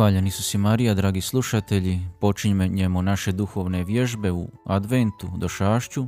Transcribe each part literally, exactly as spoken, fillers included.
Hvaljen Isus i Marija, dragi slušatelji, počinjemo naše duhovne vježbe u adventu došašću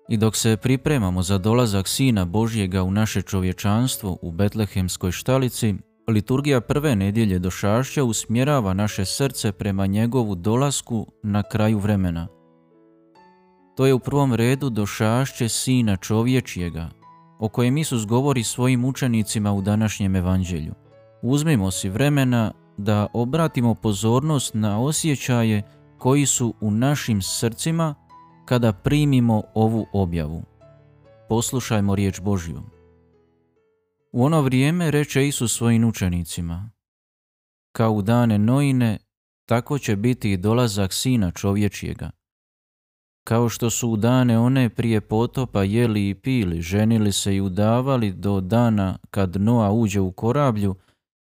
i dok se pripremamo za dolazak Sina Božjega u naše čovječanstvo u Betlehemskoj štalici, liturgija prve nedjelje došašća usmjerava naše srce prema njegovu dolasku na kraju vremena. To je u prvom redu došašće Sina čovječjega, o kojem Isus govori svojim učenicima u današnjem evanđelju. Uzmimo si vremena da obratimo pozornost na osjećaje koji su u našim srcima kada primimo ovu objavu. Poslušajmo riječ Božju. U ono vrijeme reče Isus svojim učenicima: kao u dane Noine, tako će biti i dolazak Sina čovječjega. Kao što su u dane one prije potopa jeli i pili, ženili se i udavali do dana kad Noa uđe u korablju,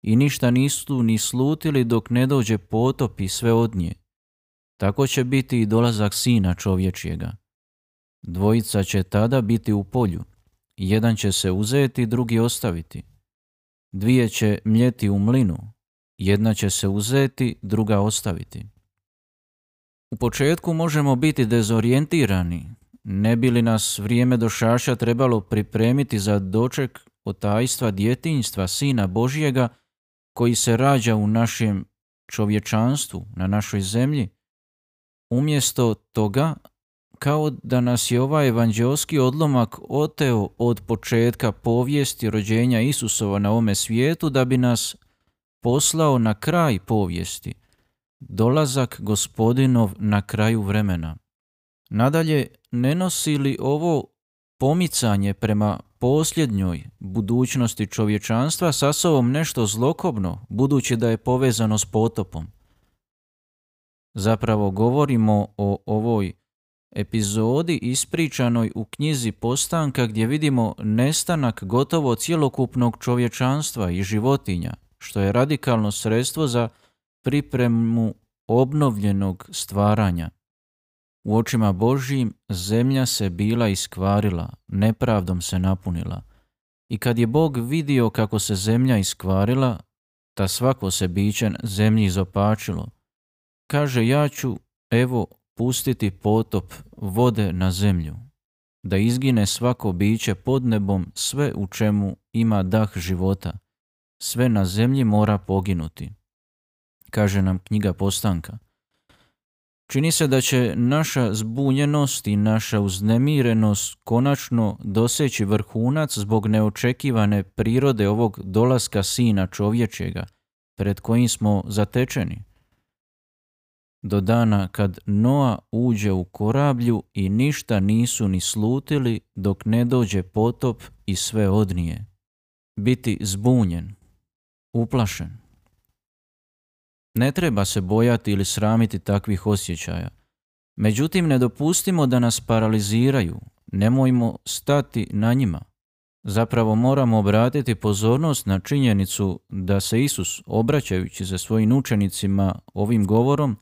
i ništa nisu ni slutili dok ne dođe potop i sve od nje. Tako će biti i dolazak Sina čovječjega. Dvojica će tada biti u polju, jedan će se uzeti, drugi ostaviti. Dvije će mljeti u mlinu, jedna će se uzeti, druga ostaviti. U početku možemo biti dezorijentirani, ne bi li nas vrijeme došašća trebalo pripremiti za doček otajstva djetinjstva Sina Božjega koji se rađa u našem čovječanstvu, na našoj zemlji. Umjesto toga, kao da nas je ovaj evanđeoski odlomak oteo od početka povijesti rođenja Isusova na ovome svijetu da bi nas poslao na kraj povijesti, dolazak Gospodinov na kraju vremena. Nadalje, ne nosi li ovo pomicanje prema posljednjoj budućnosti čovječanstva sa sobom nešto zlokobno, budući da je povezano s potopom? Zapravo govorimo o ovoj epizodi ispričanoj u knjizi Postanka, gdje vidimo nestanak gotovo cjelokupnog čovječanstva i životinja, što je radikalno sredstvo za pripremu obnovljenog stvaranja. U očima Božjim zemlja se bila iskvarila, nepravdom se napunila. I kad je Bog vidio kako se zemlja iskvarila, ta svako se biće zemlji izopačilo. Kaže, ja ću, evo, pustiti potop vode na zemlju, da izgine svako biće pod nebom, sve u čemu ima dah života. Sve na zemlji mora poginuti, kaže nam knjiga Postanka. Čini se da će naša zbunjenost i naša uznemirenost konačno doseći vrhunac zbog neočekivane prirode ovog dolaska Sina čovječjega, pred kojim smo zatečeni. Do dana kad Noa uđe u korablju i ništa nisu ni slutili dok ne dođe potop i sve odnije. Biti zbunjen, uplašen. Ne treba se bojati ili sramiti takvih osjećaja. Međutim, ne dopustimo da nas paraliziraju, nemojmo stati na njima. Zapravo moramo obratiti pozornost na činjenicu da se Isus, obraćajući se svojim učenicima ovim govorom,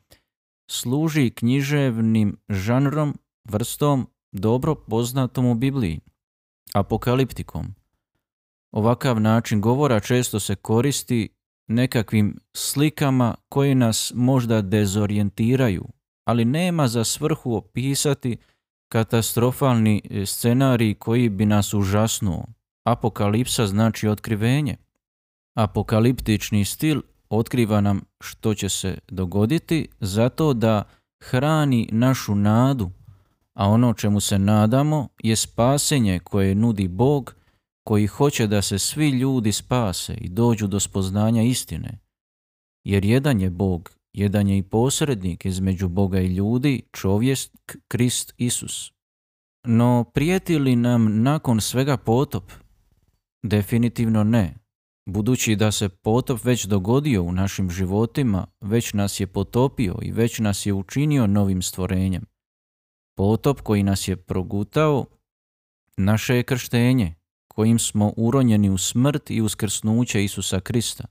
služi književnim žanrom, vrstom dobro poznatom u Bibliji, apokaliptikom. Ovakav način govora često se koristi nekakvim slikama koji nas možda dezorijentiraju, ali nema za svrhu opisati katastrofalni scenarij koji bi nas užasnuo. Apokalipsa znači otkrivenje. Apokaliptični stil otkriva nam što će se dogoditi zato da hrani našu nadu, a ono čemu se nadamo je spasenje koje nudi Bog, koji hoće da se svi ljudi spase i dođu do spoznanja istine. Jer jedan je Bog, jedan je i posrednik između Boga i ljudi, čovjek Krist Isus. No prijeti li nam nakon svega potop? Definitivno ne. Budući da se potop već dogodio u našim životima, već nas je potopio i već nas je učinio novim stvorenjem. Potop koji nas je progutao, naše je krštenje, kojim smo uronjeni u smrt i uskrsnuće Isusa Krista.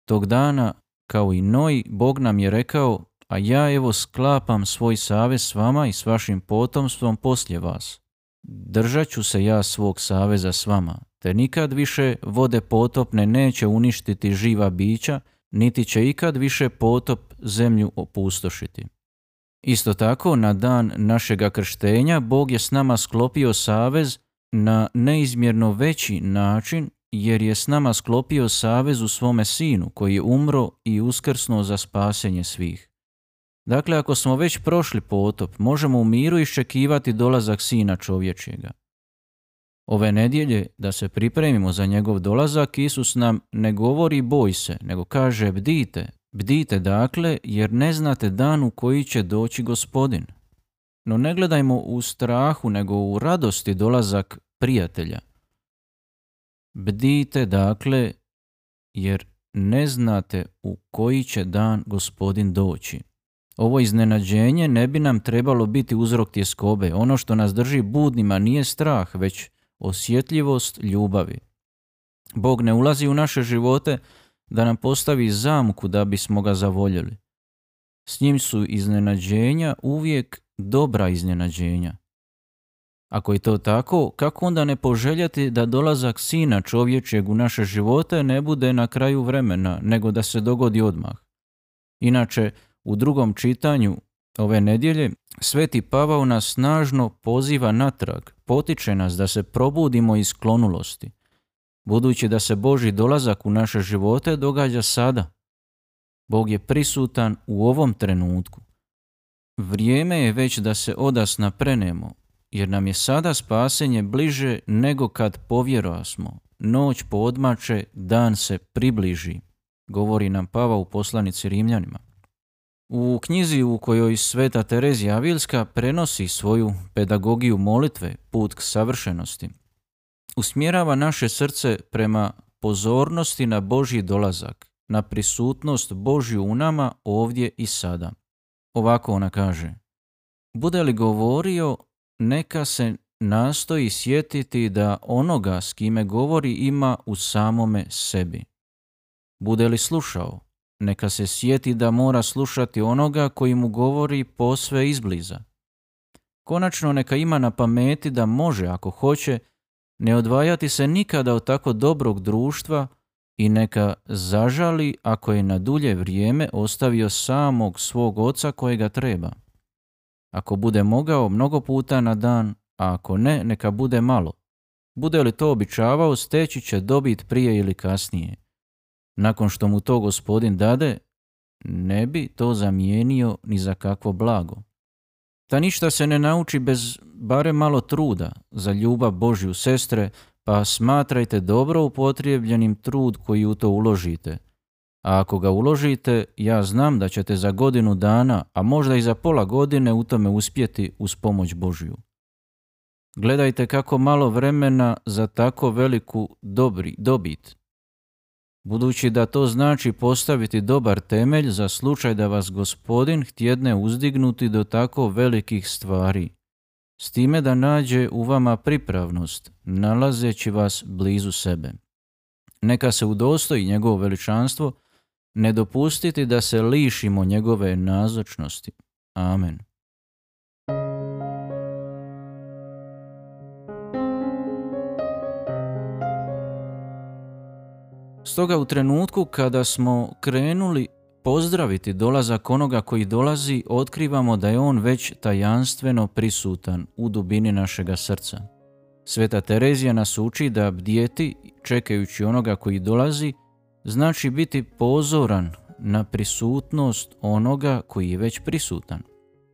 Tog dana, kao i Noji, Bog nam je rekao: a ja evo sklapam svoj savez s vama i s vašim potomstvom poslije vas. Držat ću se ja svog saveza s vama, te nikad više vode potopne neće uništiti živa bića, niti će ikad više potop zemlju opustošiti. Isto tako, na dan našega krštenja Bog je s nama sklopio savez na neizmjerno veći način, jer je s nama sklopio savez u svome Sinu, koji je umro i uskrsnuo za spasenje svih. Dakle, ako smo već prošli potop, možemo u miru iščekivati dolazak Sina čovječjega. Ove nedjelje, da se pripremimo za njegov dolazak, Isus nam ne govori boj se, nego kaže bdite, bdite dakle, jer ne znate dan u koji će doći Gospodin. No ne gledajmo u strahu, nego u radosti dolazak prijatelja. Bdite dakle, jer ne znate u koji će dan Gospodin doći. Ovo iznenađenje ne bi nam trebalo biti uzrok tjeskobe. Ono što nas drži budnima nije strah, već osjetljivost ljubavi. Bog ne ulazi u naše živote da nam postavi zamku da bismo ga zavoljeli. S njim su iznenađenja uvijek dobra iznenađenja. Ako je to tako, kako onda ne poželjeti da dolazak Sina čovječjeg u naše živote ne bude na kraju vremena, nego da se dogodi odmah? Inače, u drugom čitanju ove nedjelje Sveti Pavao nas snažno poziva natrag, potiče nas da se probudimo iz sklonulosti, budući da se Božji dolazak u naše živote događa sada. Bog je prisutan u ovom trenutku. Vrijeme je već da se odasna prenemo, jer nam je sada spasenje bliže nego kad povjerosmo. Noć poodmače, dan se približi, govori nam Pavao u poslanici Rimljanima. U knjizi u kojoj Sveta Terezija Avilska prenosi svoju pedagogiju molitve, put k savršenosti, usmjerava naše srce prema pozornosti na Božji dolazak, na prisutnost Božju u nama ovdje i sada. Ovako ona kaže: bude li govorio, neka se nastoji sjetiti da onoga s kime govori ima u samome sebi. Bude li slušao, neka se sjeti da mora slušati onoga koji mu govori posve izbliza. Konačno neka ima na pameti da može, ako hoće, ne odvajati se nikada od tako dobrog društva i neka zažali ako je na dulje vrijeme ostavio samog svog oca kojega treba. Ako bude mogao, mnogo puta na dan, a ako ne, neka bude malo. Bude li to običavao, steći će dobit prije ili kasnije. Nakon što mu to Gospodin dade, ne bi to zamijenio ni za kakvo blago. Ta ništa se ne nauči bez barem malo truda za ljubav Božju, sestre, pa smatrajte dobro upotrijebljenim trud koji u to uložite. A ako ga uložite, ja znam da ćete za godinu dana, a možda i za pola godine u tome uspjeti uz pomoć Božju. Gledajte kako malo vremena za tako veliku dobri, dobit. Budući da to znači postaviti dobar temelj za slučaj da vas Gospodin htjedne uzdignuti do tako velikih stvari, s time da nađe u vama pripravnost, nalazeći vas blizu sebe. Neka se udostoji njegovo veličanstvo, ne dopustiti da se lišimo njegove nazočnosti. Amen. Stoga u trenutku kada smo krenuli pozdraviti dolazak onoga koji dolazi, otkrivamo da je on već tajanstveno prisutan u dubini našega srca. Sveta Terezija nas uči da bdjeti, čekajući onoga koji dolazi, znači biti pozoran na prisutnost onoga koji je već prisutan.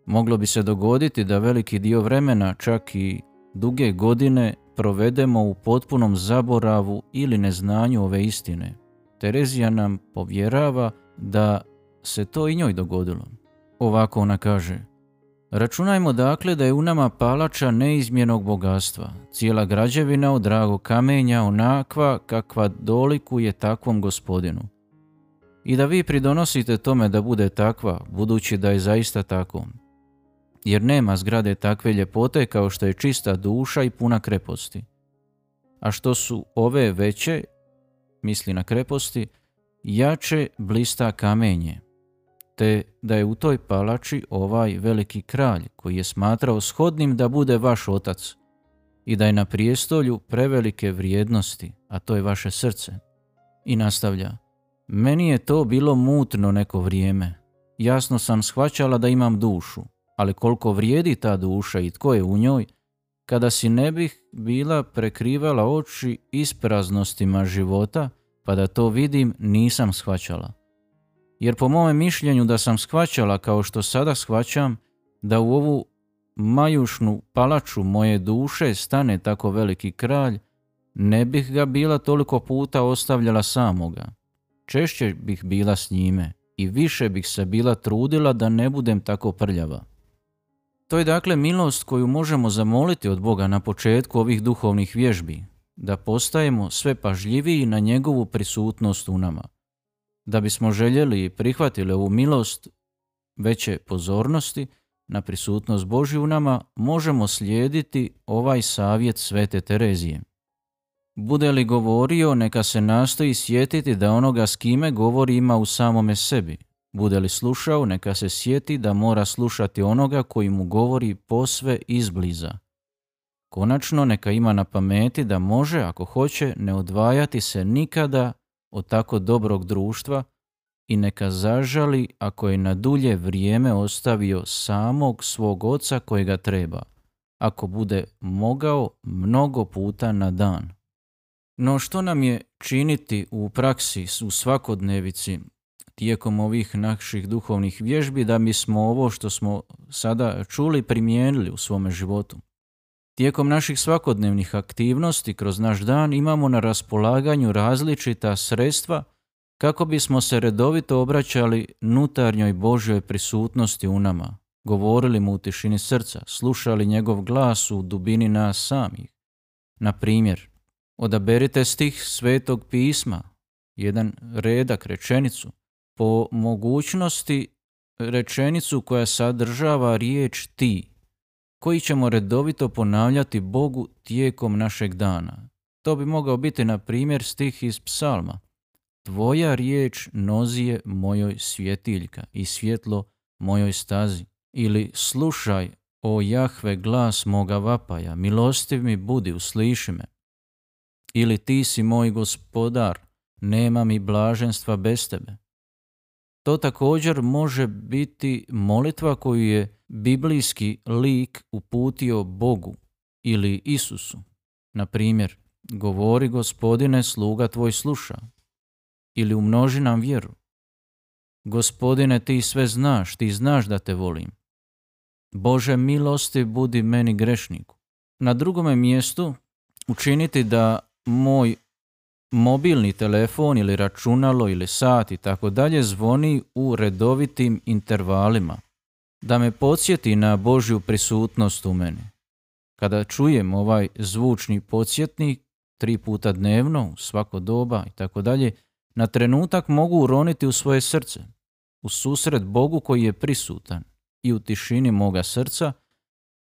Moglo bi se dogoditi da veliki dio vremena, čak i duge godine, provedemo u potpunom zaboravu ili neznanju ove istine. Terezija nam povjerava da se to i njoj dogodilo. Ovako ona kaže: računajmo dakle da je u nama palača neizmjernog bogatstva, cijela građevina od dragog kamenja, onakva kakva dolikuje takvom Gospodinu. I da vi pridonosite tome da bude takva, budući da je zaista tako. Jer nema zgrade takve ljepote kao što je čista duša i puna kreposti. A što su ove veće, misli na kreposti, jače blista kamenje, te da je u toj palači ovaj veliki kralj koji je smatrao shodnim da bude vaš otac i da je na prijestolju prevelike vrijednosti, a to je vaše srce. I nastavlja: Meni je to bilo mutno neko vrijeme. Jasno sam shvaćala da imam dušu, ali koliko vrijedi ta duša i tko je u njoj, kada si ne bih bila prekrivala oči ispraznostima života, pa da to vidim, nisam shvaćala. Jer po mome mišljenju da sam shvaćala kao što sada shvaćam, da u ovu majušnu palaču moje duše stane tako veliki kralj, ne bih ga bila toliko puta ostavljala samoga. Češće bih bila s njime i više bih se bila trudila da ne budem tako prljava. To je dakle milost koju možemo zamoliti od Boga na početku ovih duhovnih vježbi, da postajemo sve pažljiviji na njegovu prisutnost u nama. Da bismo željeli i prihvatili ovu milost veće pozornosti na prisutnost Božju u nama, možemo slijediti ovaj savjet Svete Terezije. Bude li govorio, neka se nastoji sjetiti da onoga s kime govori ima u samome sebi. Bude li slušao, neka se sjeti da mora slušati onoga koji mu govori posve izbliza. Konačno, neka ima na pameti da može, ako hoće, ne odvajati se nikada od tako dobrog društva i neka zažali ako je na dulje vrijeme ostavio samog svog oca kojega treba, ako bude mogao mnogo puta na dan. No što nam je činiti u praksi, u svakodnevici, tijekom ovih naših duhovnih vježbi, da bismo ovo što smo sada čuli primijenili u svome životu? Tijekom naših svakodnevnih aktivnosti kroz naš dan imamo na raspolaganju različita sredstva kako bismo se redovito obraćali nutarnjoj Božjoj prisutnosti u nama, govorili mu u tišini srca, slušali njegov glas u dubini nas samih. Na primjer, odaberite stih Svetog pisma, jedan redak, rečenicu, po mogućnosti rečenicu koja sadržava riječ ti, koji ćemo redovito ponavljati Bogu tijekom našeg dana. To bi mogao biti, na primjer, stih iz Psalma. Tvoja riječ nozije mojoj svjetiljka i svjetlo mojoj stazi. Ili slušaj, o Jahve, glas moga vapaja, milostiv mi budi, usliši me. Ili ti si moj gospodar, nema mi blaženstva bez tebe. To također može biti molitva koju je biblijski lik uputio Bogu ili Isusu. Na primjer, govori Gospodine, sluga tvoj sluša. Ili umnoži nam vjeru. Gospodine, ti sve znaš, ti znaš da te volim. Bože milosti budi meni grešniku. Na drugome mjestu učiniti da moj mobilni telefon ili računalo ili sat i tako dalje zvoni u redovitim intervalima, da me podsjeti na Božju prisutnost u meni. Kada čujem ovaj zvučni podsjetnik tri puta dnevno, u svako doba i tako dalje, na trenutak mogu uroniti u svoje srce, u susret Bogu koji je prisutan i u tišini moga srca,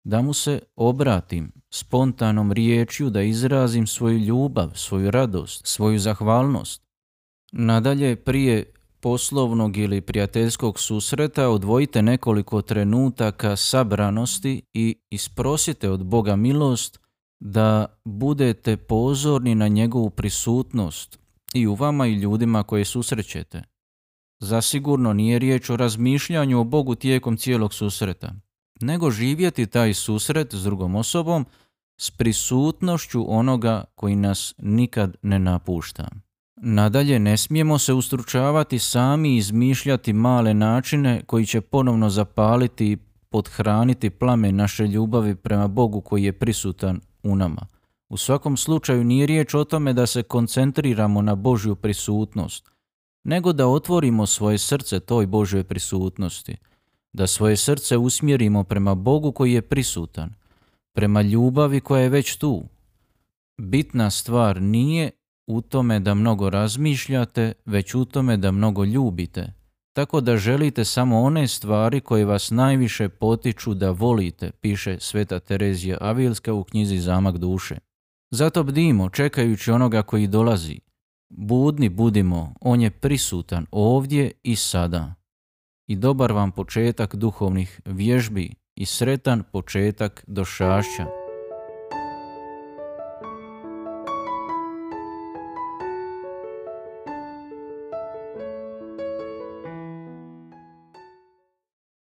da mu se obratim spontanom riječju, da izrazim svoju ljubav, svoju radost, svoju zahvalnost. Nadalje, prije poslovnog ili prijateljskog susreta odvojite nekoliko trenutaka sabranosti i isprosite od Boga milost da budete pozorni na njegovu prisutnost i u vama i ljudima koje susrećete. Zasigurno nije riječ o razmišljanju o Bogu tijekom cijelog susreta, nego živjeti taj susret s drugom osobom s prisutnošću onoga koji nas nikad ne napušta. Nadalje, ne smijemo se ustručavati sami i izmišljati male načine koji će ponovno zapaliti i pothraniti plamen naše ljubavi prema Bogu koji je prisutan u nama. U svakom slučaju nije riječ o tome da se koncentriramo na Božju prisutnost, nego da otvorimo svoje srce toj Božjoj prisutnosti, da svoje srce usmjerimo prema Bogu koji je prisutan, prema ljubavi koja je već tu. Bitna stvar nije u tome da mnogo razmišljate, već u tome da mnogo ljubite, tako da želite samo one stvari koje vas najviše potiču da volite, piše Sveta Terezija Avilska u knjizi Zamak duše. Zato bdimo, čekajući onoga koji dolazi. Budni budimo, on je prisutan ovdje i sada. I dobar vam početak duhovnih vježbi i sretan početak došašća.